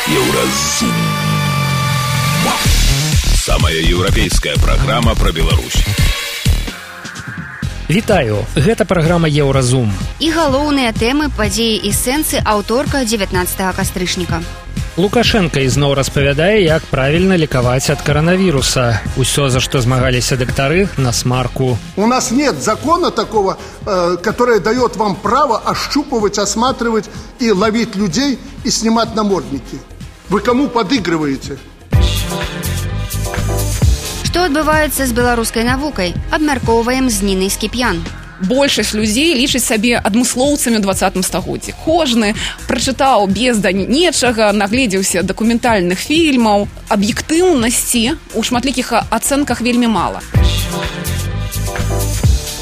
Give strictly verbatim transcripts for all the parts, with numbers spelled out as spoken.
Еўразум. Самая еўрапейская праграма пра Беларусь. Вітаю, гэта праграма Еўразум. І галоўныя тэмы, падзеі і сэнсы аўторка дзевятнаццатага кастрычніка. Лукашенко ізноў распавядае, як правільна лекаваць ад коронавируса. Усё, за что змагались доктары, на смарку. У нас нет закона такого, э, который дает вам право ощупывать, осматривать и ловить людей и снимать намордники. Вы кому подыгрываете? Што адбываецца з беларускай навукай? Абмяркоўваем з Нінай Скіп'ян. Большасць людзей лічаць сабе адмыслоўцамі ў двадцатым стагоддзі. Кожны прачытаў без нечага, нагледзеўся дакументальных фільмаў. Аб'ектыўнасці ў шматлікіх ацэнках вельмі мала.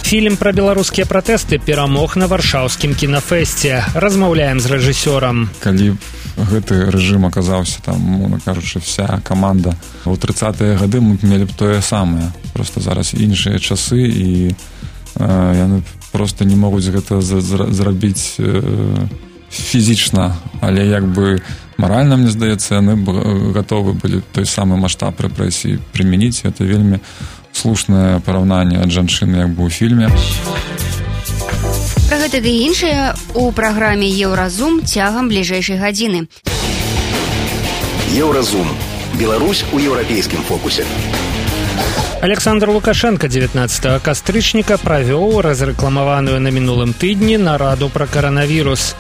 Фільм пра беларускія пратэсты перамог на варшаўскім кінафэсце. Размаўляем з рэжысёрам. Калі гэты рэжым аказаўся там, мовна кажучы, вся каманда ў трыццатыя гады, мы мелі б тое самае. Просто зараз іншыя часы, і яны просто не могуць гэта зрабіць фізічна, але як бы маральна, мне здаецца, яны б гатовы былі той самы маштаб рэпрэсій прымяніць. Гэта вельмі слушнае параўнанне ад жанчыны як бы ў фільме. Пра гэта ды іншае у праграме Еўразум цягам бліжэйшай гадзіны. Еўразум. Беларусь у еўрапейскім фокусе. Александр Лукашенко дзевятнаццатага кастрычніка правёў разрэкламаваную на мінулым тыдні нараду пра каранавірус.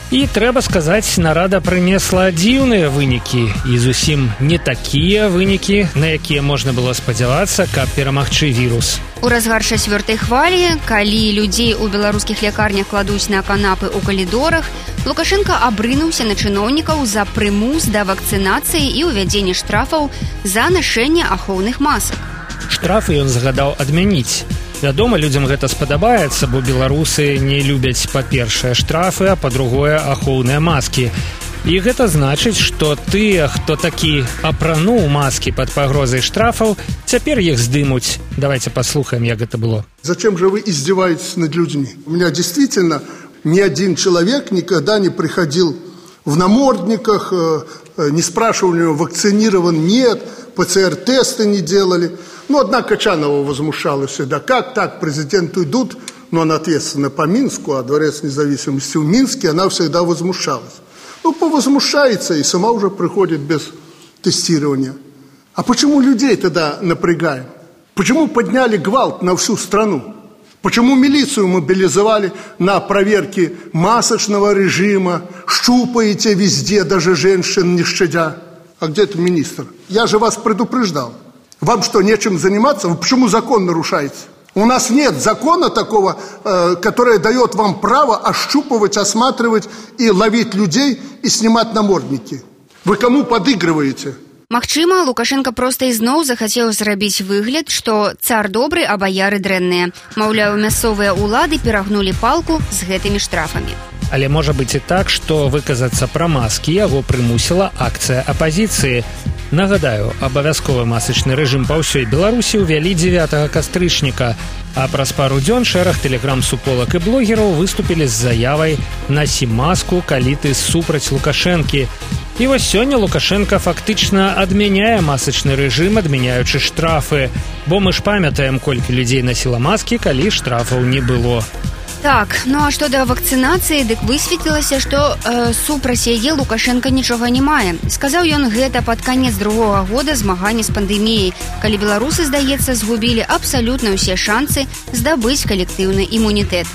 І, трэба сказаць, нарада прынесла дзіўныя вынікі і зусім не такія вынікі, на якія можна было спадзявацца, каб перамагчы вірус. У разгар чацвёртай хвалі, калі людзей у беларускіх лякарнях кладуць на канапы ў калідорах, Лукашенко абрынуўся на чыноўнікаў за прымус да вакцынацыі і ўвядзення штрафаў за нашэнне ахоўных масак. Штрафы ён загадаў адмяніць. Вядома, людзям гэта спадабаецца, бо беларусы не любяць, па-першае, штрафы, а па-другое, ахоўныя маскі. І гэта значыць, што тыя, хто такі апрануў маскі пад пагрозай штрафаў, цяпер іх здымуць. Давайте послухаем, як гэта было. Зачем же вы издеваетесь над людьми? У меня действительно ни один человек никогда не приходил в намордниках, не спрашивал у него, вакцинирован, нет, ПЦР-тесты не делали. Ну, одна Качанова возмущалась всегда. Как так, президенту идут, но она ответственна по Минску, а Дворец независимости в Минске, она всегда возмущалась. Ну, повозмущается и сама уже приходит без тестирования. А почему людей тогда напрягаем? Почему подняли гвалт на всю страну? Почему милицию мобилизовали на проверки масочного режима, щупаете везде, даже женщин не щадя? А где это министр? Я же вас предупреждал. Вам что, нечем заниматься? Вы почему закон нарушаете? У нас нет закона такого, э, который дает вам право ощупывать, осматривать и ловить людей и снимать намордники. Вы кому подыгрываете? Магчыма, Лукашенко проста ізноў захацеў зрабіць выгляд, што цар добры, а баяры дрэнныя. Маўляў, мясцовыя ўлады перагнулі палку з гэтымі штрафамі. Але можа быць і так, што выказацца пра маскі яго прымусіла акцыя апазіцыі. Нагадаю, абавязковы масачны рэжым па ўсёй Беларусі ўвялі дзевятага кастрычніка, а праз пару дзён шэраг тэлеграм-суполак і блогераў выступілі з заявай «Насі маску, калі ты супраць Лукашэнкі». І вось сёння Лукашенко фактычна адмяняе масачны рэжым, адмяняючы штрафы, бо мы ж памятаем, колькі людзей насіла маскі, калі штрафаў не было. Так, ну а што да вакцынацыі, дык высветлілася, што э, супраць яе Лукашенко нічога не мае. Сказаў ён гэта пад канец другога года змагання з пандэміяй, калі беларусы, здаецца, згубілі абсалютна ўсе шанцы здабыць калектыўны імунітэт.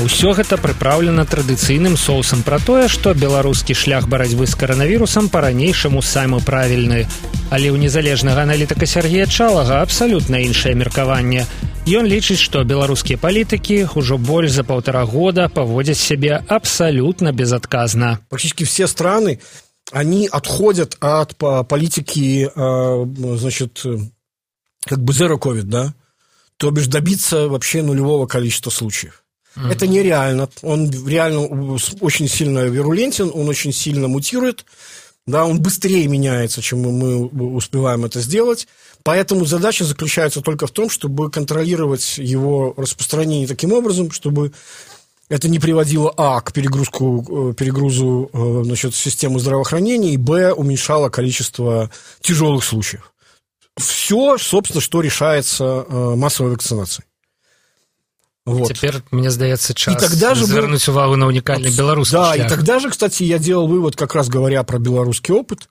Усё гэта прыпраўлена традыцыйным соусам пра тое, што беларускі шлях барацьбы з каранавірусам па-ранейшаму самы правільны. Але ў незалежнага аналітыка Сергея Чалага абсалютна іншае меркаванне. Ён лічыць, што беларускія палітыкі ўжо больш за полтора года поводят себя абсолютно безотказно. Практически все страны, они отходят от политики, значит, как бы zero ковид, да? То бишь добиться вообще нулевого количества случаев. Mm-hmm. Это нереально. Он реально очень сильно вирулентен, он очень сильно мутирует, да, он быстрее меняется, чем мы успеваем это сделать. Поэтому задача заключается только в том, чтобы контролировать его распространение таким образом, чтобы Это не приводило, а, к перегрузку, перегрузу значит, системы здравоохранения, и, б, уменьшало количество тяжелых случаев. Все, собственно, что решается массовой вакцинацией. Вот. Теперь, мне сдается, час и тогда же завернуть был... увагу на уникальный белорусский да, шлях. И тогда же, кстати, я делал вывод, как раз говоря про белорусский опыт,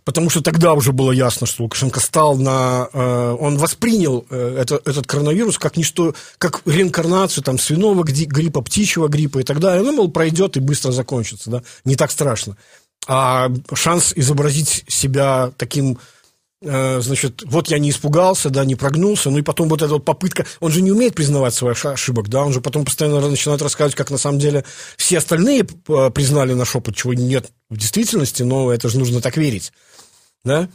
потому что тогда уже было ясно, что Лукашенко стал на... Э, он воспринял э, это, этот коронавирус как ничто, как реинкарнацию там, свиного гриппа, птичьего гриппа и так далее. Ну, мол, пройдет и быстро закончится, да, не так страшно. А шанс изобразить себя таким... Значит, вот я не испугался, да, не прогнулся, ну и потом вот эта вот попытка, он же не умеет признавать своих ошибок, да, он же потом постоянно начинает рассказывать, как на самом деле все остальные признали наш опыт, чего нет в действительности, но это же нужно так верить, да,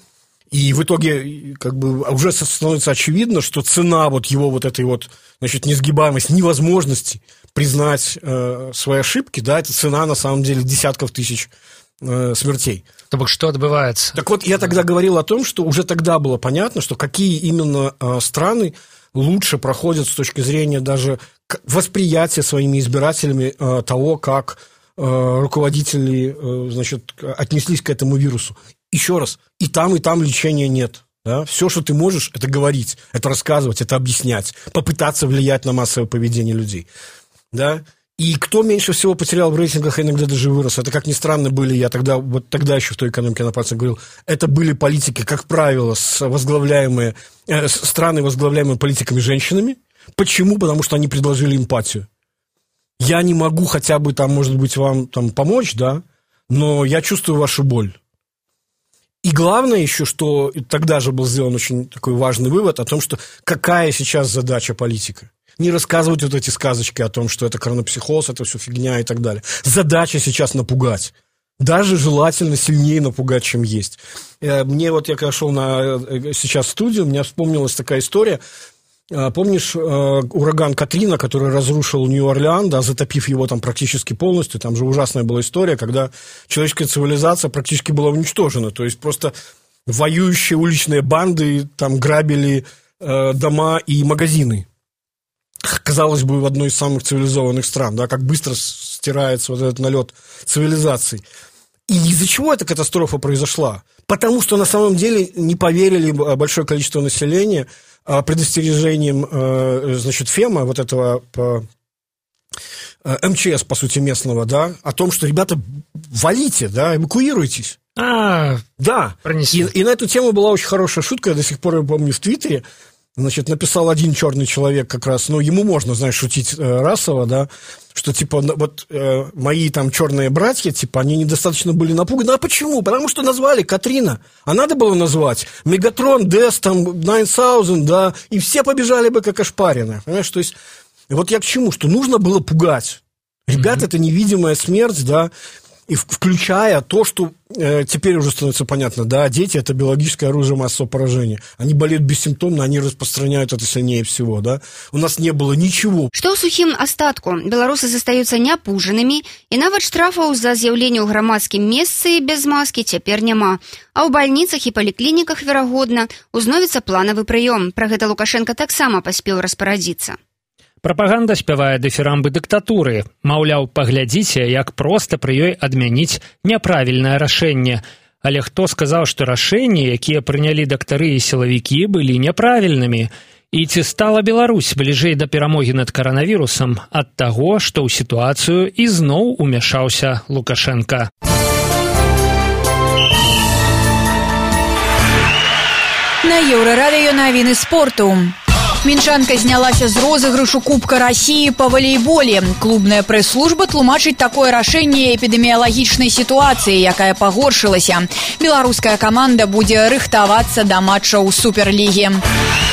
и в итоге как бы уже становится очевидно, что цена вот его вот этой вот, значит, несгибаемости, невозможности признать э, свои ошибки, да, это цена на самом деле десятков тысяч э, смертей. Так что отбывается? Так вот, я тогда говорил о том, что уже тогда было понятно, что какие именно э, страны лучше проходят с точки зрения даже восприятия своими избирателями э, того, как э, руководители э, значит, отнеслись к этому вирусу. Еще раз, и там, и там лечения нет. Да? Все, что ты можешь, это говорить, это рассказывать, это объяснять, попытаться влиять на массовое поведение людей. Да? И кто меньше всего потерял в рейтингах, иногда даже вырос, это, как ни странно, были, я тогда, вот тогда еще в той экономике на пальцах говорил, это были политики, как правило, с возглавляемые, э, страны, возглавляемые политиками-женщинами. Почему? Потому что они предложили эмпатию. Я не могу хотя бы, там, может быть, вам там, помочь, да, но я чувствую вашу боль. И главное еще, что тогда же был сделан очень такой важный вывод о том, что какая сейчас задача политика. Не рассказывать вот эти сказочки о том, что это коронапсихоз, это все фигня и так далее. Задача сейчас напугать. Даже желательно сильнее напугать, чем есть. Мне вот, я когда шел на, сейчас в студию, у меня вспомнилась такая история. Помнишь ураган Катрина, который разрушил Нью-Орлеан, да, затопив его там практически полностью? Там же ужасная была история, когда человеческая цивилизация практически была уничтожена. То есть просто воюющие уличные банды там грабили э, дома и магазины. Казалось бы, в одной из самых цивилизованных стран, да, как быстро стирается вот этот налет цивилизации. И из-за чего эта катастрофа произошла? Потому что на самом деле не поверили большое количество населения предостережением, значит, ФЕМа, вот этого эм че эс, по сути, местного, да, о том, что, ребята, валите, да, эвакуируйтесь. А, да. И, и на эту тему была очень хорошая шутка, я до сих пор ее помню в Твиттере. Значит, написал один черный человек как раз, ну, ему можно, знаешь, шутить э, расово, да, что, типа, вот э, мои там черные братья, типа, они недостаточно были напуганы. А почему? Потому что назвали Катрина, а надо было назвать Мегатрон, Дэс, там, девять тысяч, да, и все побежали бы как ошпаренные, понимаешь, то есть, вот я к чему, что нужно было пугать. Ребят, mm-hmm. это невидимая смерть, да, и включая то, что э, теперь уже становится понятно, да, дети – это биологическое оружие массового поражения. Они болеют бессимптомно, они распространяют это сильнее всего, да. У нас не было ничего. Што ў сухім астатку? Беларусы застаюцца няпужанымі, і нават штрафаў за з'яўленне ў грамадскім месцы без маскі цяпер няма. А ў бальніцах і паліклініках, верагодна, узновіцца планавы прыём. Пра гэта Лукашенко таксама паспеў распарадзіцца. Прапаганда спявае дыфірамбы дыктатуры. Маўляў, паглядзіце, як проста пры ёй адмяніць няправільнае рашэнне. Але хто сказаў, што рашэнні, якія прынялі дактары і сілавікі, былі няправільнымі? І ці стала Беларусь бліжэй да перамогі над каранавірусам ад таго, што ў сітуацыю ізноў умяшаўся Лукашенко? На Еўрарадыё навіны спорту. Мінчанка знялася з розыгрышу Кубка России па валейболе. Клубная прэс-служба тлумачыць такое рашэнне эпідэміялагічнай сітуацыі, якая пагоршылася. Беларуская каманда будзе рыхтавацца да матчаў суперлігі.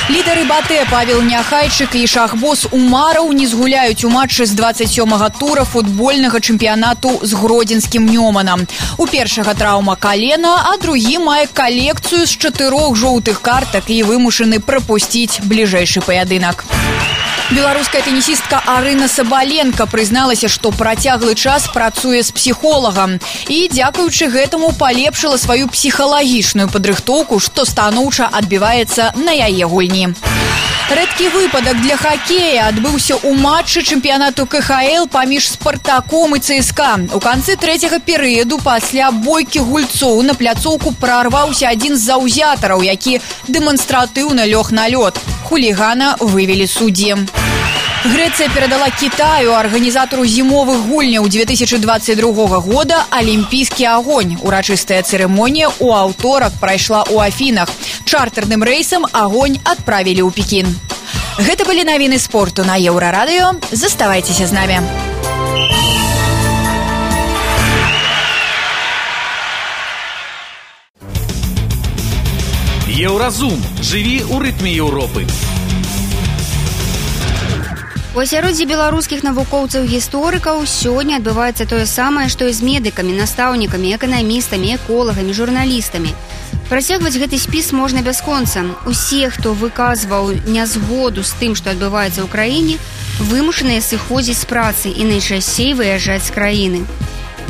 Лідары БАТЭ Павел Няхайчык і шахбос Умараў не згуляюць у матчы з двадцать сёмага тура футбольнага чэмпіянату з гродзенскім Нёманам. У першага траўма калена, а другі мае калекцыю з чатырох жоўтых картак і вымушаны прапусціць бліжэйшы паядынак. Беларуская тенісістка Арына Сабаленко прызналася, што працяглы час працуе з псіхолагам і, дзякуючы гэтаму, палепшыла сваю псіхалагічную падрыхтоўку, што станоўча адбіваецца на яе гульні. Рэдкі выпадак для хакея адбыўся ў матчы чэмпіянату ка ха эл паміж «Спартаком» і цэ эс ка. У канцы трэцяга перыяду пасля бойкі гульцоў на пляцоўку прарваўся адзін з заўзятараў, які дэманстратыўна лёг на лёд. Хулігана вывелі суддзі. Грэцыя перадала Кітаю, арганізатару зімовых гульняў две тысячи двадцать другога года, алімпійскі агонь. Урачыстая цырымонія ў аўторак прайшла ў Афінах. Чартэрным рэйсам агонь адправілі ў Пекін. Гэта былі навіны спорту на Еўрарадыё. Заставайцеся з намі. Еўразум. Жыві ў рытме Еўропы. У асяроддзі беларускіх навукоўцаў-гісторыкаў сёння адбываецца тое самае, што і з медыкамі, настаўнікамі, эканамістамі, эколагамі, журналістамі. Працягваць гэты спіс можна бясконца. Усе, хто выказваў нязгоду з тым, што адбываецца ў краіне, вымушаныя сыходзіць з працы і найчасцей выязджаць з краіны.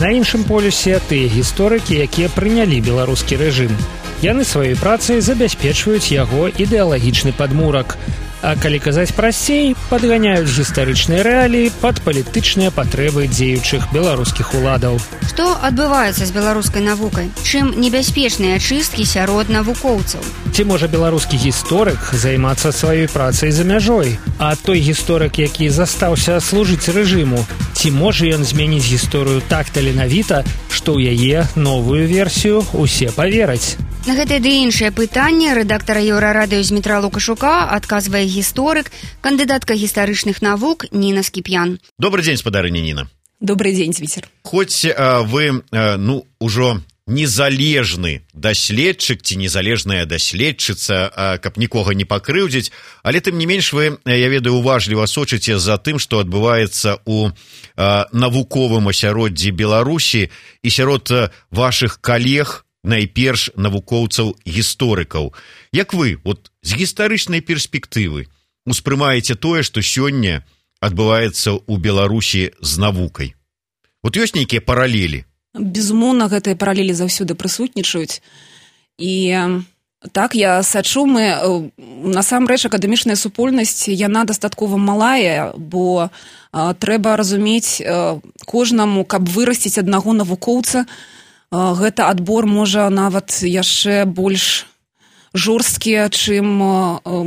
На іншым полюсе тыя гісторыкі, якія прынялі беларускі рэжым. Яны сваёй працай забяспечваюць яго ідэалагічны падмурак. А калі казаць прасцей, падганяюць гістарычныя рэаліі пад палітычныя патрэбы дзеючых беларускіх уладаў. Што адбываецца з беларускай навукай? Чым небяспечныя ачысткі сярод навукоўцаў? Ці можа беларускі гісторык займацца сваёй працай за мяжой? А той гісторык, які застаўся служыць рэжыму, ці можа ён змяніць гісторыю так таленавіта, што ў яе новую версію усе павераць? На гэтае ды іншае пытанне рэдактара Еўрарадыё Змітра Лукашука адказвае гісторык, кандыдатка гістарычных навук Ніна Скіп'ян. Добрый дзень, спадарыня Ніна. Добрый дзень, Зміцер. Хоць а, вы, а, ну, ужо незалежны даследчык ці незалежная даследчыца, а, каб нікога не пакрыўдзіць, але тым не менш вы, я ведаю, уважліва сочыце за тым, што адбываецца ў а, навуковым асяроддзі Беларусі і сярод а, вашых калег, найперш навукоўцаў-гісторыкаў. Як вы, от, з гістарычнай перспектывы успрымаеце тое, што сёння адбываецца ў Беларусі з навукай? Вот ёсць нейкія паралелі? Безумоўна, гэтыя паралелі заўсёды прысутнічаюць. І так, я сачу, мы, насамрэч, акадэмічная супольнасць, яна дастаткова малая, бо а, трэба разумець а, кожнаму, каб вырасціць аднаго навукоўца, гэта адбор можа нават яшчэ больш жорсткі, чым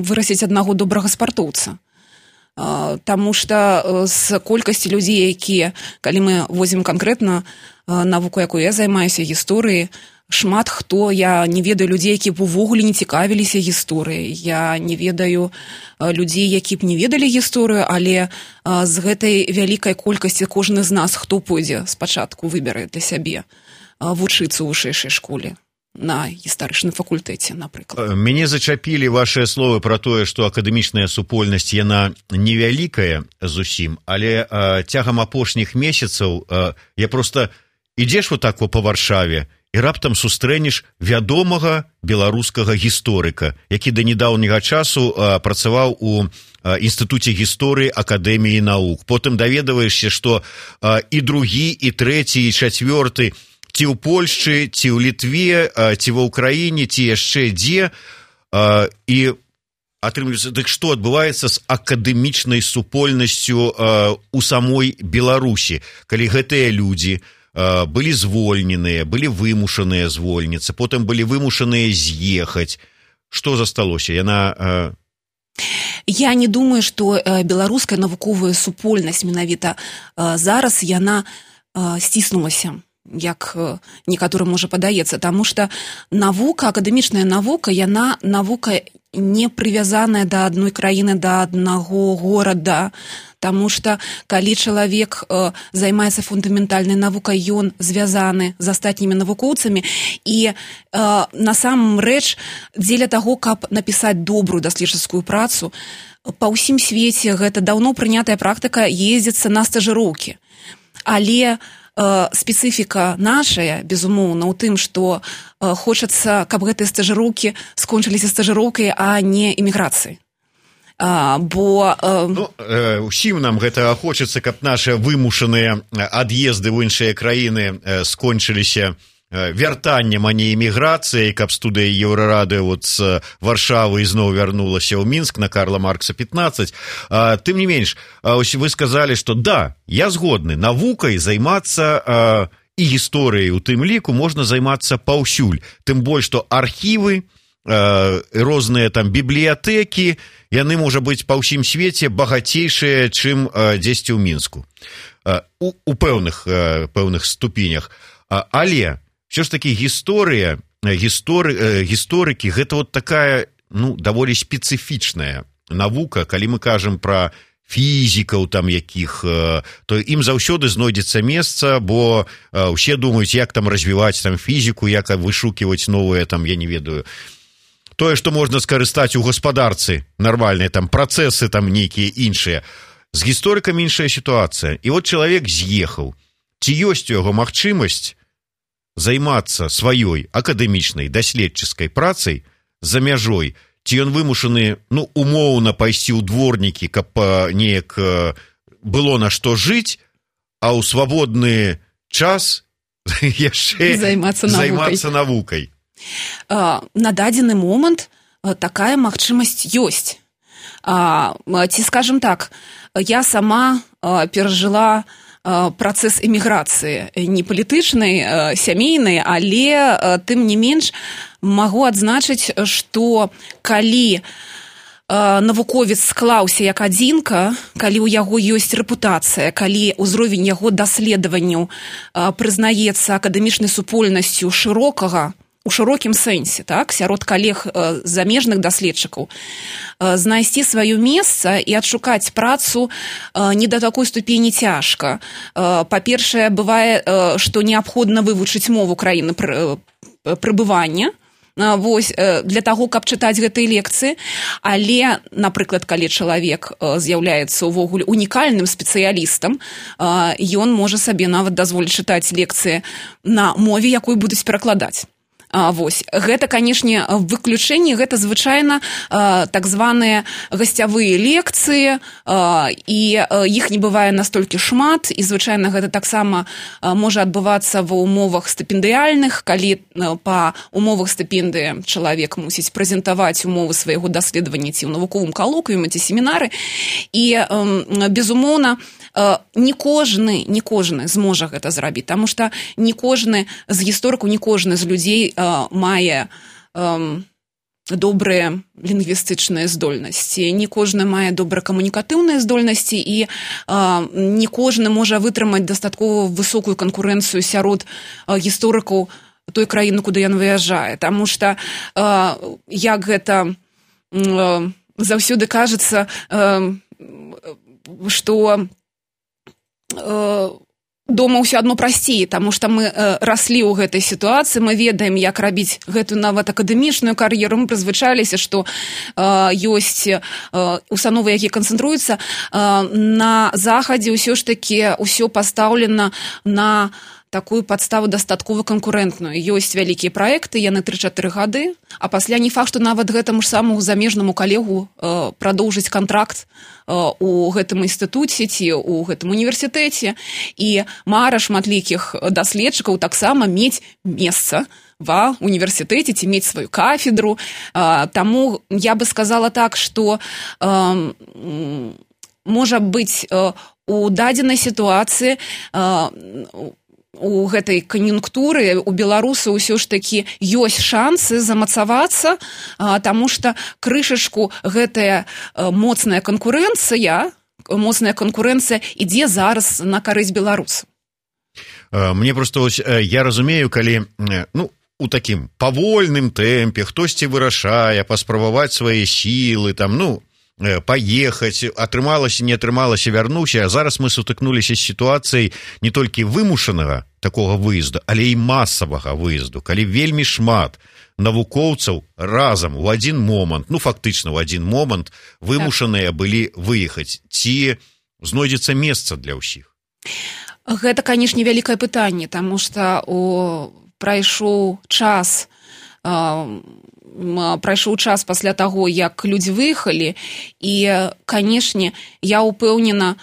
вырасціць аднаго добрага спартоўца. Таму што з колькасці людзей, якія, калі мы возьмем канкрэтна навуку, якую я займаюся, гісторыі, шмат хто, я не ведаю людзей, які б увогуле не цікавіліся гісторыяй. Я не ведаю людзей, які б не ведалі гісторыю, але з гэтай вялікай колькасці кожны з нас, хто пойдзе спачатку, выберэ для сябе вучыцца ў вышэйшай школе на гістарычным факультэце, напрыклад. Мяне зачапілі вашыя словы пра тое, што акадэмічная супольнасць, яна невялікая зусім, але а, цягам апошніх месяцаў а, я проста ідзеш вот так во па Варшаве і раптам сустрэнеш вядомага беларускага гісторыка, які да нядаўняга часу а, працаваў у а, інстытуце гісторыі Акадэміі навук. Потым даведаваешся, што а, і другі, і трэці, і чацвёрты ці ў Польшчы, ці ў Літве, ці ва ўкраіне, ці яшчэ дзе, і атрымліваецца, дык што адбываецца з акадэмічнай супольнасцю у самой Беларусі, калі гэтыя людзі былі звольненыя, былі вымушаныя звольніцца, потым былі вымушаныя з'ехаць. Што засталося? Яна... Я не думаю, што беларуская навуковая супольнасць менавіта зараз яна сціснулася, як некаторым можа падаецца, таму што навука, акадэмічная навука, яна навука не прывязаная да адной краіны, да аднаго горада, таму што калі чалавек э, займаецца фундаментальнай навукай, ён звязаны з астатнімі навукоўцамі, і э, насамрэч дзеля таго, каб напісаць добрую даследчыцкую працу, па ўсім свеце гэта даўно прынятая практыка ездзіцца на стажыроўкі. Але спецыфіка нашая, безумоўна, у тым, што хочацца, каб гэтыя стажыроўкі скончыліся стажыроўкай, а не эміграцыяй. Бо... Ну, усім нам гэта хочацца, каб нашы вымушаныя ад'езды ў іншыя краіны скончыліся вяртаннем, а не эміграцыяй, каб студыя Еўрарады вот з Варшавы ізноў вярнулася ў Мінск на Карла Маркса пятнадцать. Тым не менш, вы сказалі, што да, я згодны, навукай займацца і гісторыяй у тым ліку можна займацца паўсюль, тым больш, што архівы, розныя там бібліятэкі, яны, можа быць, па ўсім свеце багацейшыя, чым дзесьці ў Мінску. У, у пэўных, пэўных ступенях. Але все ж таки гісторыя, гісторы, гісторыкі, гэта вот такая, ну, даволі спецыфічная навука, калі мы кажам пра фізікаў там якіх, то ім заўсёды знойдзецца месца, бо ўсе думаюць, як там развіваць там фізіку, як вышуківаць новыя там, я не ведаю, тое, што можна скарыстаць у гаспадарцы, нармальныя там працэсы там нейкія іншыя. З гісторыкамі іншая сітуацыя. І вот чалавек з'ехаў. Ці ёсць у яго магчымасць займацца сваёй акадэмічнай даследчыцкай працай за мяжой, ці ён вымушаны, ну, умоўна пайсці ў дворнікі, каб неяк было на што жыць, а ў свабодны час яшчэ займацца навукай. Займацца навукай. На дадзены момант такая магчымасць ёсць. Ці, скажем так, я сама перажыла працэс эміграцыі, не палітычнай, сямейнай, але тым не менш магу адзначыць, што калі навуковец склаўся як адзінка, калі ў яго ёсць рэпутацыя, калі ўзровень яго даследаванняў прызнаецца акадэмічнай супольнасцю шырокага, у шырокім сэнсе, так, сярод калег э, замежных даследчыкаў, э, знайсці сваё месца і адшукаць працу э, не да такой ступені цяжка. Э, па-першае, бывае, э, што неабходна вывучыць мову краіны пры, э, прыбывання, э, вось, э, для таго, каб чытаць гэтыя лекцыі, але, напрыклад, калі чалавек э, з'яўляецца ўвогуле унікальным спецыялістам, э, ён можа сабе нават дазволіць чытаць лекцыі на мове, якую будуць перакладаць. А, вось. Гэта, канешне, выключэнне, гэта звычайна а, так званыя гасцявыя лекцыі, а, і а, іх не бывае настолькі шмат, і звычайна гэта таксама а, можа адбывацца ва ўмовах стыпендыяльных, калі а, па умовах стыпендыі чалавек мусіць прэзентаваць умовы свайго даследавання ці ў навуковым калоквіуме ці семінары, і, а, безумоўна, не кожны, не кожны зможа гэта зрабіць, таму што не кожны з гісторыкаў, не кожны з людзей а, мае а, добрыя лінгвістычныя здольнасці, не кожны мае добра камунікатыўныя здольнасці, і а, не кожны можа вытрымаць дастаткова высокую канкурэнцыю сярод а, гісторыкаў той краіны, куды ён выязджае, таму што а, як гэта а, заўсёды кажацца, а, што дома ўсё адно прасцей, таму што мы раслі ў гэтай сітуацыі, мы ведаем, як рабіць гэтую нават акадэмічную кар'еру, мы прызвычаліся, што ёсць установы, якія канцэнтруюцца на захадзе, ўсё ж такі ўсё пастаўлена на такую падставу дастаткова канкурэнтную. Ёсць вялікія праекты, яны тры-чатыры гады, а пасля не факт, што нават гэтаму ж самому замежнаму калегу э, прадоўжыць кантракт э, у гэтым інстытуце ці у гэтым універсітэце. І мара шматлікіх даследчыкаў таксама мець месца ва універсітэце ці мець сваю кафедру. Э, таму я бы сказала так, што э, можа быць э, у дадзенай сітуацыі э, у гэтай кан'юнктуры у беларусаў усё ж такі ёсць шансы замацавацца, таму што крышачку гэтая моцная канкурэнцыя, моцная канкурэнцыя ідзе зараз на карысць беларусаў. Мне просто ось, я разумею, калі, ну, у такім павольным тэмпе хтосьці вырашае паспрабаваць свае сілы, там, ну, паехаць, атрымалася, не атрымалася, вярнуўся, а зараз мы сутыкнуліся з сітуацыяй не толькі вымушанага такога выезду, але і масавага выезду, калі вельмі шмат навукоўцаў разам у адзін момант, ну фактычна ў адзін момант вымушаныя былі выехаць. Ці знойдзецца месца для ўсіх? Гэта, канешне, вялікае пытанне, таму што прайшоў час прайшоў час пасля таго, як людзі выехалі, і, канешне, я ўпэўнена,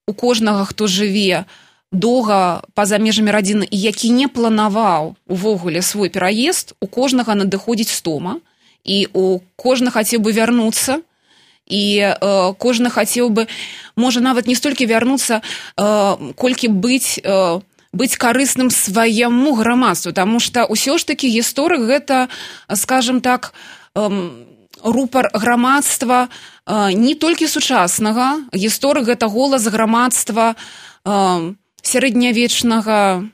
у кожнага, хто жыве доўга па-за межамі радзіны і які не планаваў увогуле свой пераезд, у кожнага надыходзіць стома, і у кожны хацеў бы вярнуцца, і э, кожны хацеў бы, можа, нават не столькі вярнуцца, э, колькі быць, э, быць карысным свайму грамадству, таму што ўсё ж такі гісторык гэта, скажам так, э, рупар грамадства э, не толькі сучаснага, гісторык гэта голас грамадства э, сярэднявечнага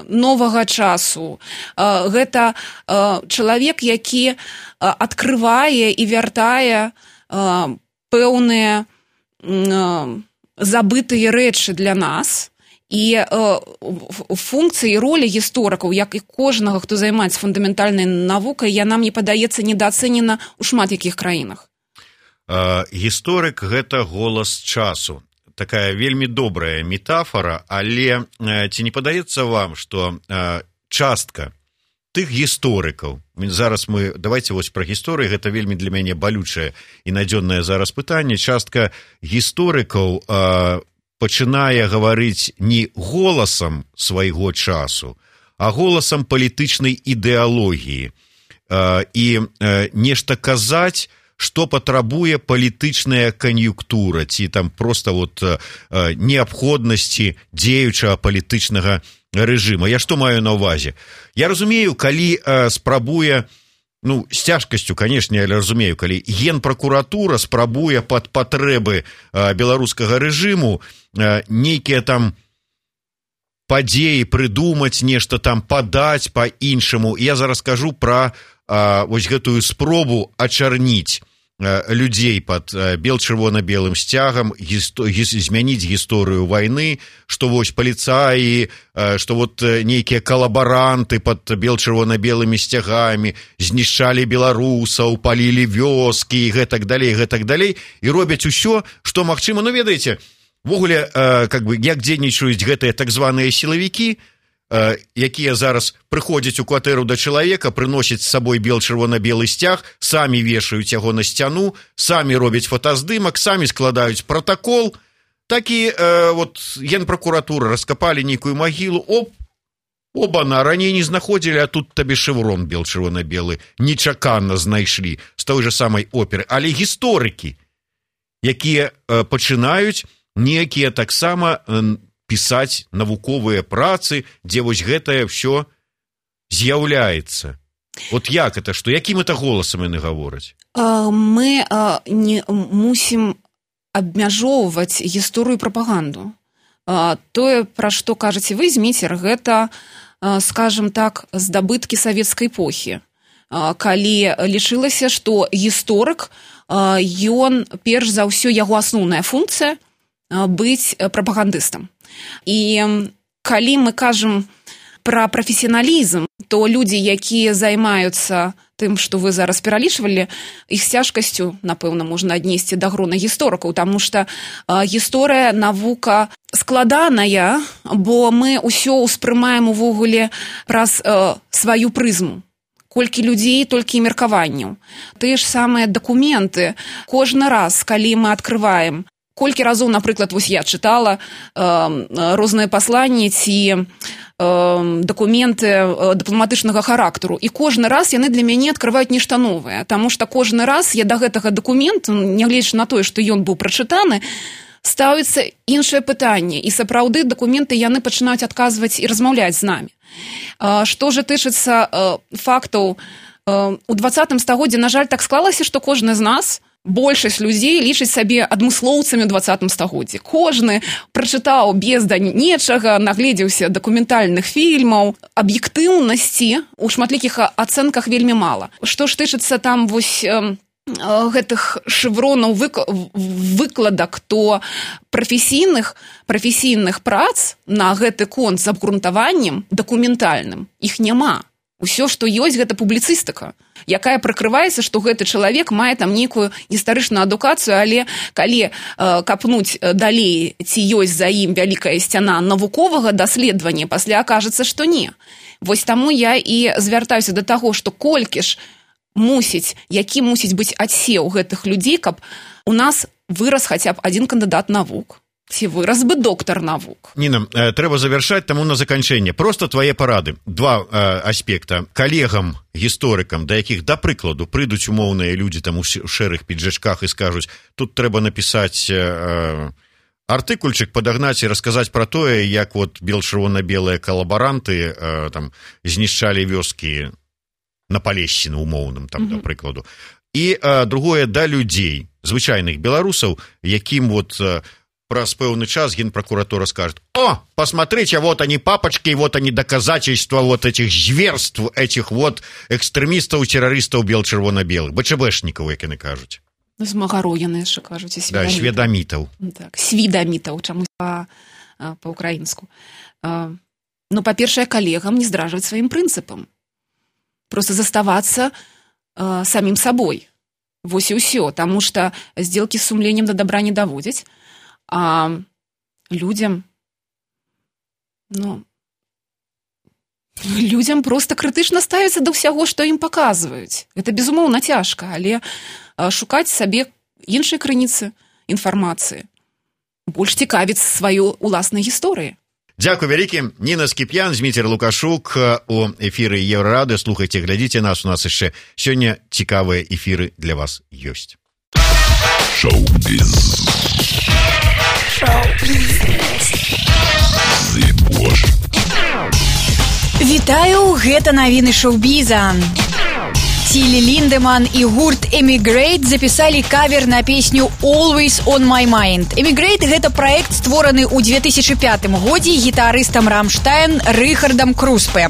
новага часу. Гэта чалавек, які адкрывае і вяртае пэўныя забытыя рэчы для нас. І функцыі і ролі гісторыкаў, як і кожнага, хто займаецца фундаментальнай навукай, яна, мне падаецца, недаацэнена ў шмат якіх краінах. Гісторык – гэта голас часу. Такая вельмі добрая метафора, але ці не падаецца вам, што частка тых гісторыкаў, зараз мы, давайте вось пра гісторыі, гэта вельмі для мяне балючае і надзённае зараз пытанне, частка гісторыкаў пачынае гаварыць не голасам свайго часу, а голасам палітычнай ідэалогіі і нешта казаць, што патрабуе палітычная кан'юнктура, ці там проста вот неабходнасці дзеючага палітычнага рэжыма. Я што маю на ўвазе? Я разумею, калі спрабуе, ну, з цяжкасцю, канешне, але разумею, калі генпракуратура спрабуе пад патрэбы беларускага рэжыму нейкія там падзеі прыдумаць, нешта там падаць па-іншаму. Я зараз кажу пра вось гэтую спробу ачарніць людзей под бел-чырвона-белым сцягам, гісто... змяніць гісторыю вайны, што вось паліцаі, што вот нейкія калабаранты под бел-чырвона-белымі сцягамі знішчалі беларусаў, палілі вёскі і гэтак далей, гэтак далей, і робяць усё, што магчыма. Ну, ведаеце, ввогуле, как бы, як дзейнічаюць гэтыя так званыя сілавікі, якія зараз прыходзяць у кватэру да чалавека, прыносяць з сабой бел-чырвона-белы сцяг, самі вешаюць яго на сцяну, самі робяць фотаздымак, самі складаюць протакол. Так і э, вот, генпракуратура раскапалі нейкую магілу, оп, оба-на, раней не знаходзілі, а тут табе шэврон бел-чырвона-белы нечакана знайшлі з той же самай оперы. Але гісторыкі, якія э, пачынаюць некія таксама э, пісаць навуковыя працы, дзе вось гэтае ўсё з'яўляецца. Вот як это, што якім это голасам яны гавораць? Мы не мусім абмяжоўваць гісторыю прапаганду. Тое, пра што кажаце вы, Зміцер, гэта, скажем так, здабыткі савецкай эпохі. Калі лічылася, што гісторык, ён, перш за ўсё, яго асноўная функцыя быць прапагандыстам. І калі мы кажам пра прафесіяналізм, то людзі, якія займаюцца тым, што вы зараз пералічвалі, іх з цяжкасцю, напэўна, можна аднесці да грона гісторыкаў, таму што гісторыя, навука складаная, бо мы ўсё ўспрымаем увогуле праз э, сваю прызму. Колькі людзей, толькі і меркаванняў. Тыя ж самыя дакументы. Кожны раз, калі мы адкрываем, колькі разоў, напрыклад, вось я чытала э, розныя пасланні ці э, дакументы э, дыпламатычнага характару, і кожны раз яны для мяне адкрываюць нешта новае, таму што кожны раз я да гэтага дакументу, нягледзячы на тое, што ён быў прачытаны, ставіцца іншае пытанне, і сапраўды дакументы яны пачынаюць адказваць і размаўляць з намі. Э, што ж тычыцца э, фактаў, э, у дваццатым стагоддзі, на жаль, так склалася, што кожны з нас, большасць людзей лічыць сабе адмыслоўцамі ў дваццатым стагоддзі. Кожны прачытаў бездань нечага, нагледзеўся дакументальных фільмаў, аб'ектыўнасці ў шматлікіх ацэнках вельмі мала. Што ж тычыцца там вось э, гэтых шэвронаў вык... выкладак, то прафесійных, прафесійных прац на гэты конт з абгрунтаваннем дакументальным іх няма. Усё, што ёсць, гэта публіцыстыка, якая прыкрываецца, што гэты чалавек мае там нейкую гістарычную адукацыю, але калі э, капнуць далей, ці ёсць за ім вялікая сцяна навуковага даследавання, пасля акажацца, што не. Вось таму я і звяртаюся да таго, што колькі ж мусіць, які мусіць быць адсеў гэтых людзей, каб у нас вырас хаця б адзін кандыдат навук, Ці вырас бы доктар навук. Ніна, э, трэба завяршаць, таму на заканчэнне просто твае парады. Два э, аспекта. Калегам, гісторыкам, да якіх, да прыкладу, прыйдуць умоўныя людзі там у шэрых піджачках і скажуць, тут трэба напісаць э, артыкульчык, падагнаць і расказаць пра тое, як вот бел-чырвона-белыя калабаранты э, там знішчалі вёскі на Палешчыны умоўным, там, mm-hmm. да прыкладу. І э, другое, да людзей, звычайных беларусаў, якім вот... Э, праз пэўны час генпрокуратура скажет: о, посмотрите, вот они папочки, вот они доказательства вот этих зверств, этих вот экстремистов, террористов бел-чырвона-белых, БЧБшников, як яны кажуць. Змагароў яны яшчэ кажуць, і сведамітаў. Да, сведамітаў. Так, сведамітаў, чаму па, па-украінску. Ну, па-першае, калегам не здражваць сваім прынцыпам. Просто заставацца э, самім сабой. Вось і ўсё, таму што здзелкі з сумленнем да добра не даводзяць. А людям, ну, людям просто крытычна ставіцца да ўсяго, што ім паказваюць. Гэта, безумоўна, цяжка, але шукаць сабе іншай крыніцы інфармацыі, больш цікавіць сваёй уласнай гісторыі. Дзякуй вялікі. Ніна Скіп'ян, Зміцер Лукашук у эфіры Еўрарады. Слухайце, глядзіце нас, у нас яшчэ сёння цікавыя эфіры для вас ёсць. Шоу-біз. Вітаю, гэта навіны шоу-біза. Тилли Линдеман и гурт Emigrate записали кавер на песню Always on my mind. Emigrate – гэта проект, створаны ў две тысячы пятым годзе гітарыстам Рамштайн Рыхардам Круспе.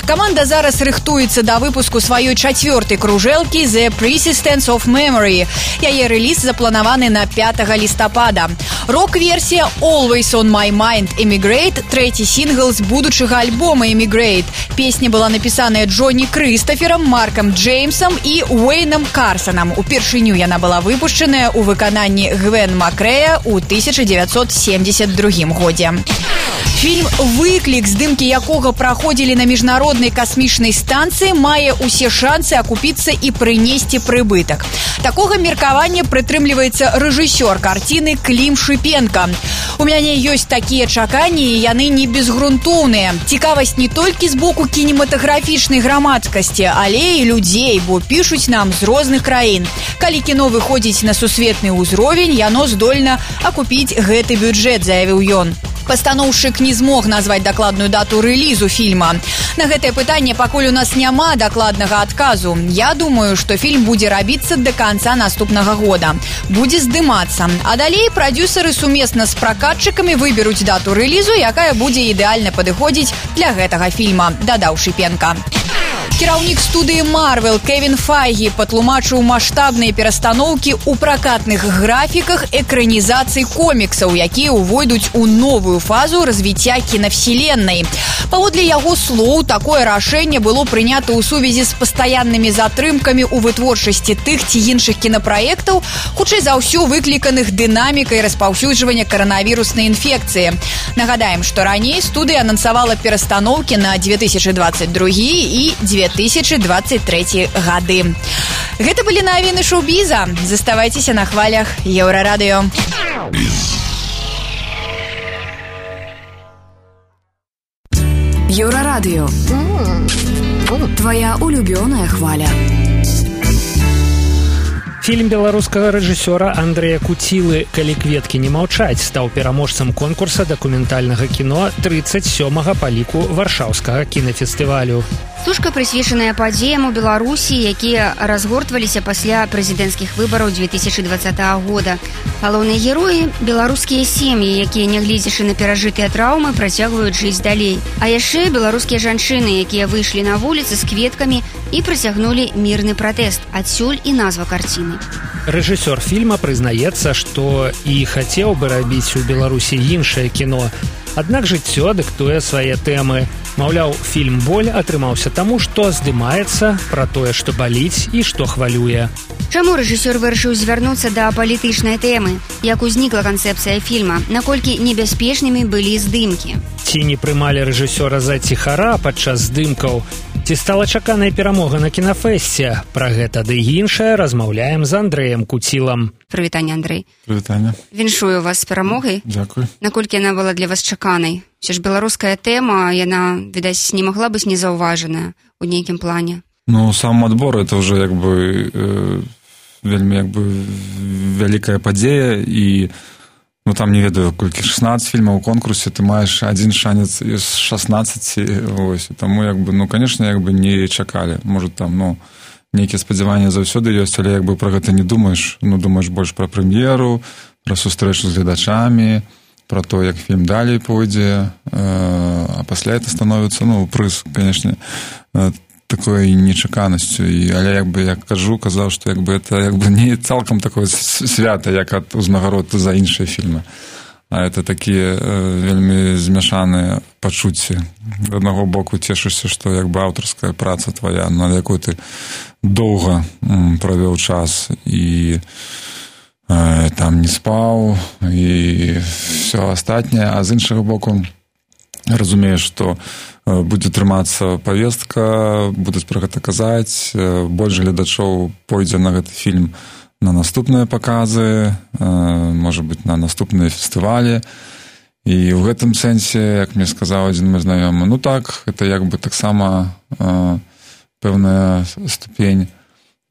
Каманда зараз рыхтуецца да выпуску сваёй чацвёртай кружэлкі The Persistence of Memory. Яе рэліз запланаваны на пятага лістапада. Рок-версія Always on my mind Emigrate – трэці сінгл з будучага альбома Emigrate. Песня была напісаная Джонні Крыстаферам, Маркам Джеймсом і Уэйном Карсонам. Упершыню яна была выпушчаная ў выкананні Гвен Макрэя ў тысяча дзевяцьсот семьдесят другім годзе. Фільм «Выклік», здымкі якога праходзілі на міжнароднай касмічнай станцыі, мае ўсе шансы акупіцца і прынесці прыбытак. Такога меркавання прытрымліваецца рэжысёр карціны Клім Шыпенка. У мяне ёсць такія чаканні, і яны не безгрунтоўныя. Цікавасць не толькі з боку кінематаграфічнай грамадскасці, але і людзей, бо пішуць нам з розных краін. Калі кіно выходзіць на сусветны ўзровень, яно здольна акупіць гэты бюджэт, заявіў ён. Пастаноўшчык не змог назваць дакладную дату рэлізу фільма. На гэтае пытанне пакуль у нас няма дакладнага адказу. Я думаю, што фільм будзе рабіцца да канца наступнага года. Будзе здымацца. А далей прадюсеры сумесна з пракатчыкамі выберуць дату рэлізу, якая будзе ідэальна падыходзіць для гэтага фільма, дадаў Шыпенка. Кіраўнік студыі Marvel Кевін Файгі патлумачыў маштабныя перастаноўкі ў пракатных графіках экранізацый коміксаў, якія ўвойдуць у новую фазу развіцця кінавселеннай. Паводле яго слоў, такое рашэнне было прынята ў сувязі з пастаяннымі затрымкамі ў вытворчасці тых ці іншых кінапраектаў, хутчэй за ўсё выкліканых дынамікай распаўсюджвання каранавіруснай інфекцыі. Нагадаем, што раней студыя анансавала перастаноўкі на две тысячы двадцать другі і две тысячи двадцать третий гады. Гэта былі навіны шоу-біза. Заставайцеся на хвалях Еўрарадыё. Еўрарадыё. Твоя улюбёная хваля. Фільм беларускага рэжысёра Андрэя Куцілы «Калі кветкі не маўчаць» стаў пераможцам конкурса дакументальнага кіно тридцать сёмага па ліку варшаўскага кінафестывалю. Стужка прысвечаная падзеям у Беларусі, якія разгортваліся пасля прэзідэнцкіх выбараў две тысячи двадцатого года. Галоўныя героі – беларускія сем'і, якія, нягледзячы на перажытыя траўмы, працягваюць жыць далей. А яшчэ беларускія жанчыны, якія выйшлі на вуліцы з кветкамі і працягнулі мірны пратэст. Адсюль і назва карціны. Рэжысёр фільма прызнаецца, што і хацеў бы рабіць у Беларусі іншае кіно. Аднак жыццё дыктуе свае тэмы. Маўляў, фільм «Боль» атрымаўся таму, што здымаецца пра тое, што баліць і што хвалюе. Чаму рэжысёр вырашыў звярнуцца да палітычнай тэмы? Як узнікла канцэпцыя фільма? Наколькі небяспечнымі былі здымкі? Ці не прымалі рэжысёра за ціхара падчас здымкаў? Ці стала чаканая перамога на кінафэсце? Пра гэта ды іншае размаўляем з Андрэем Куцілам. Прывітанне, Андрэй. Прывітанне. Віншую вас з перамогай. Дзякуй. Наколькі яна была для вас чаканай? Усё ж беларуская тэма, яна, відаць, не магла быць незаўважаная у нейкім плане. Ну, сам адбор это уже як бы э, вельмі як бы вялікая падзея і ну там не ведаю колькі шестнадцать фільмаў у конкурсе, ты маеш адзін шанец з шестнадцати, ось, таму як бы ну конечно як бы не чакалі, может там ну нейкія спадзяванні заўсёды ёсць, але як бы пра гэта не думаеш, ну думаеш больш пра прэм'еру, пра сустрэчу з гледачамі, пра то, як фільм далей пойдзе, э, а пасля это становіцца ну прыз, конечно, э, такой нечаканасцю, і але як бы я кажу, казаў, што як бы это як бы не цалкам такое свята, як ад узнагарод за іншыя фільмы. А это такія э, вельмі змяшаныя пачуцці. З аднаго боку цешышся, што як бы аўтарская праца твая, над якой ты доўга м, правёў час і э, там не спаў і ўсё астатняе, а з іншага боку разумею, што будзе трымацца павестка, будуць пра гэта казаць, больш гледачоў пойдзе на гэты фільм на наступныя паказы, можа быць, на наступныя фестывалі. І ў гэтым сэнсе, як мне сказаў адзін мой знаёмы, ну так, гэта як бы таксама пэўная ступень,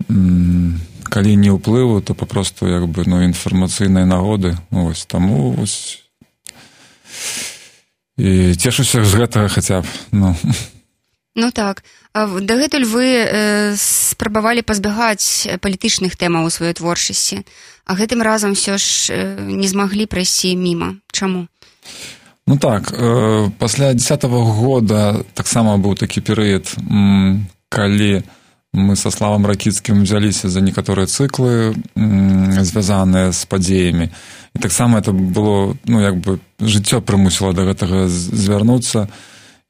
калі не ўплыву, то папросту як бы ну інфармацыйнай нагоды. Ось таму ось і цешуся з гэтага хаця б, ну. Ну так. Дагэтуль вы э, спрабавалі пазбягаць палітычных тэмаў у сваёй творчасці, а гэтым разам ўсё ж э, не змаглі прайсці міма. Чаму? Ну так, э, пасля дзесятага года таксама быў такі перыяд, м, калі мы са Славам Ракіцкім взяліся за некаторыя цыклы, м, звязаныя з падзеямі. І таксама это было, ну, як бы, жыццё прымусіла да гэтага звярнуцца.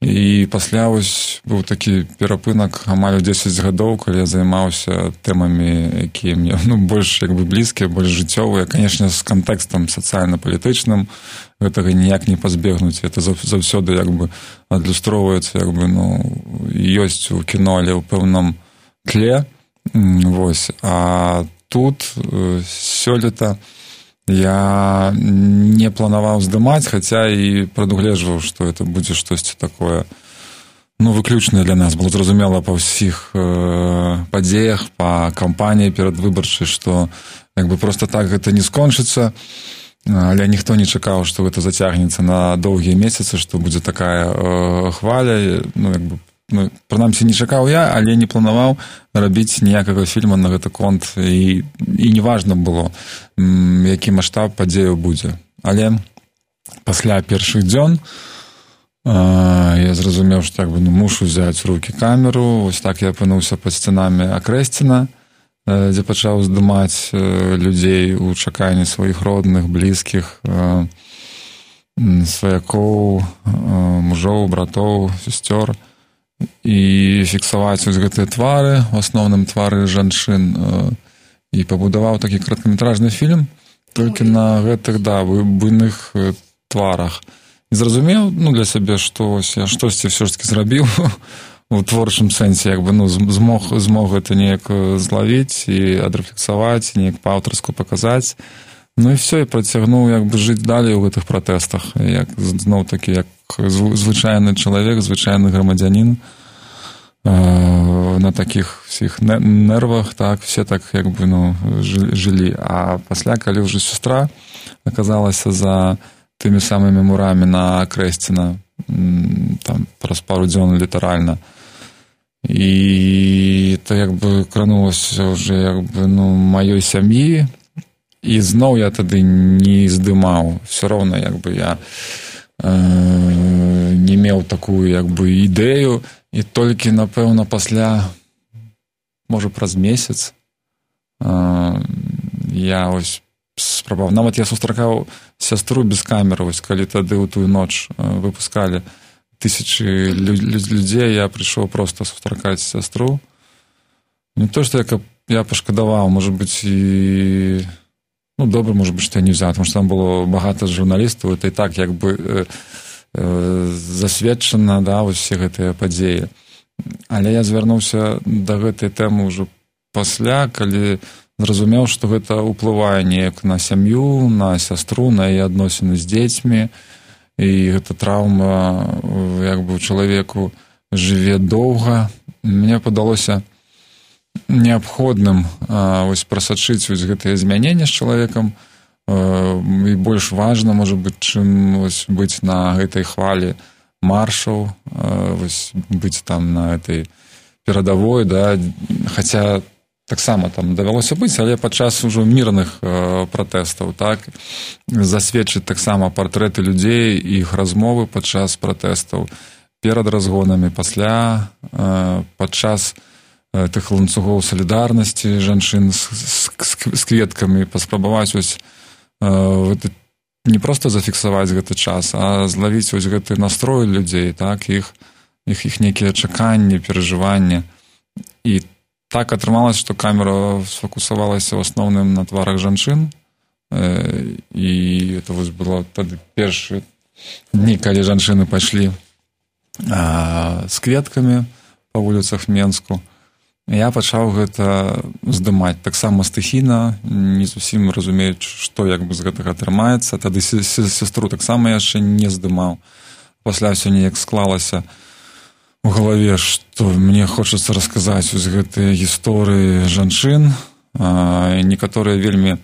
І пасля вось быў такі перапынак амаль дзесяць гадоў, калі я займаўся тэмамі, якія мне, ну, больш, як бы, блізкія, больш жыццёвыя. Канешне, з кантэкстам сацыяльна-палітычным гэтага ніяк не пазбегнуць. Это заўсёды, як бы, адлюстроўваецца, як бы, ну, ёсць у кіно, але ў пэўным тле. Вось. А тут сёлета я не планаваў здымаць, хаця і прадугледжваў, што это будзе штосьці такое, ну, выключнае для нас. Было зразумела па ўсіх э, падзеях, па кампаніі перадвыбарчай, што як бы проста так гэта не скончыцца, але ніхто не чакаў, што гэта зацягнецца на доўгія месяцы, што будзе такая э, хваля, ну, як бы ну, прынамсі не чакаў я, але не планаваў рабіць ніякага фільма на гэты конт, і, і не важна было, які маштаб падзеяў будзе. Але пасля першых дзён э, я зразумеў, што так бы, ну, мушу взяць у рукі камеру. Вось так я апынуўся пад сценамі Акрэсціна, э, дзе пачаў здымаць э, людзей у чаканні сваіх родных, блізкіх, э, сваякоў, э, мужоў, братоў, сестёр, і фіксаваць вось гэтыя твары, у асноўным твары жанчын, і пабудаваў такі кароткаметражны фільм толькі на гэтых, да, буйных тварах. І зразумеў, ну, для сябе, што ось я штосьці ўсё ж такі зрабіў у творчым сэнсе, як бы, ну, змог, змог гэта неяк злавіць і адрэфлексаваць, неяк па-аўтарску паказаць. Ну і все, і працягнуў як бы жыць далей у гэтых пратэстах, як зноў такі, як звычайны чалавек, звычайны грамадзянін, э, на такіх всіх нервах, так, все так як бы, ну, жылі. А пасля, калі ўжо сестра аказалася за тымі самымі мурамі на Акрэсціна, там праз пару дзён літаральна, і то як бы кранулася ўжо як бы, ну, маёй сям'і. І зноў я тады не здымаў. Все роўна, як бы, я э, не меў такую, як бы, ідэю. І толькі, напэўна, пасля, можа, праз месяц э, я ось спрабаваў. Нават я сустракаў сястру без камеры, ось, калі тады ў тую ноч э, выпускалі тысячы лю- людзей, я прыйшоў проста сустракаць сястру. Не то, што я, я пашкадаваў, можа быць, і... Ну, добре, може бути, що я не взяв, тому що там було багато журналістів, і так, якби, е, е, засвідчено, да, ось всі ці події. Але я звярнуўся да гэтай тэмы ўжо пасля, калі зразумеў, што гэта ўплывае неяк на сям'ю, на сястру, на яе адносіны з дзецьмі, і гэта траўма як бы ў чалавеку жыве доўга. Мне падалося неабходным вось прасачыць вось гэтыя змяненні з чалавекам, і больш важна, можа быць, чым вось быць на гэтай хвалі маршаў, вось быць там на этой перадавой, да, хаця таксама там давялося быць, але падчас ужо мірных э, пратэстаў, так, засведчыць таксама партрэты людзей, іх размовы падчас пратэстаў, перад разгонамі, пасля, э, падчас э, тых ланцугоў салідарнасці жанчын з, з, з кветкамі, паспрабаваць ось, э, не проста зафіксаваць гэты час, а злавіць ось гэты настрой людзей, так, іх, іх, іх нейкія чаканні, перажыванні. І так атрымалася, што камера сфокусавалася ў асноўным на тварах жанчын, і это вось было тады першыя дні, калі жанчыны пайшлі з кветкамі па вуліцах Менску. Я пачаў гэта здымаць таксама стыхійна, не зусім разумеючы, што як бы з гэтага атрымаецца. Тады сястру таксама яшчэ не здымаў. Пасля ўсё неяк склалася у галаве, што мне хочацца расказаць вось гэтыя гісторыі жанчын, некаторыя вельмі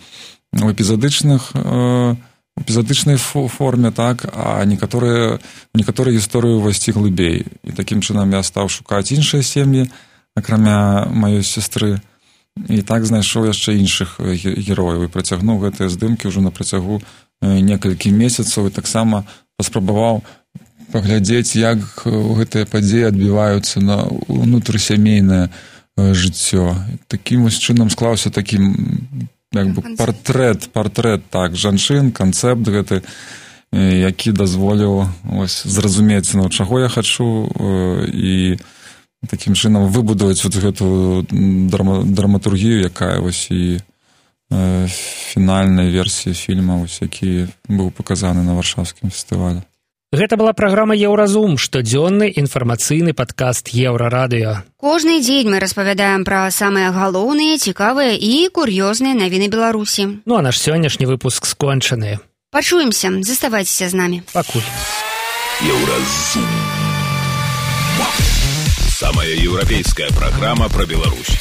у эпізадычных эпізадычнай форме, так, а некаторыя некаторыя гісторыі ўвайсці глыбей. І такім чынам я стаў шукаць іншыя сем'і, акрамя маёй сястры, і так знайшоў яшчэ іншых герояў і працягнуў гэтыя здымкі ўжо на працягу некалькі месяцаў, і таксама паспрабаваў паглядзець, як гэтыя падзеі адбіваюцца на ўнутрысямейнае жыццё. Такім вось чынам склаўся такі як бы партрэт, партрэт, так, жанчын, канцэпт гэты, які дазволіў ось зразумець, ну, чаго я хачу, і такім чынам выбудаваць вот гэту драма, драматургію, якая вось і фінальнай версіі фільма, ось, які быў паказаны на варшаўскім фестывалі. Гэта была праграма «Еўразум», штодзённы інфармацыйны падкаст Еўрарадыё. Кожны дзень мы распавядаем пра самыя галоўныя, цікавыя і кур'ёзныя навіны Беларусі. Ну а наш сённяшні выпуск скончаны. Пачуемся, заставайцеся з намі. Пакуль. Еўразум. Самая еўрапейская праграма пра Беларусь.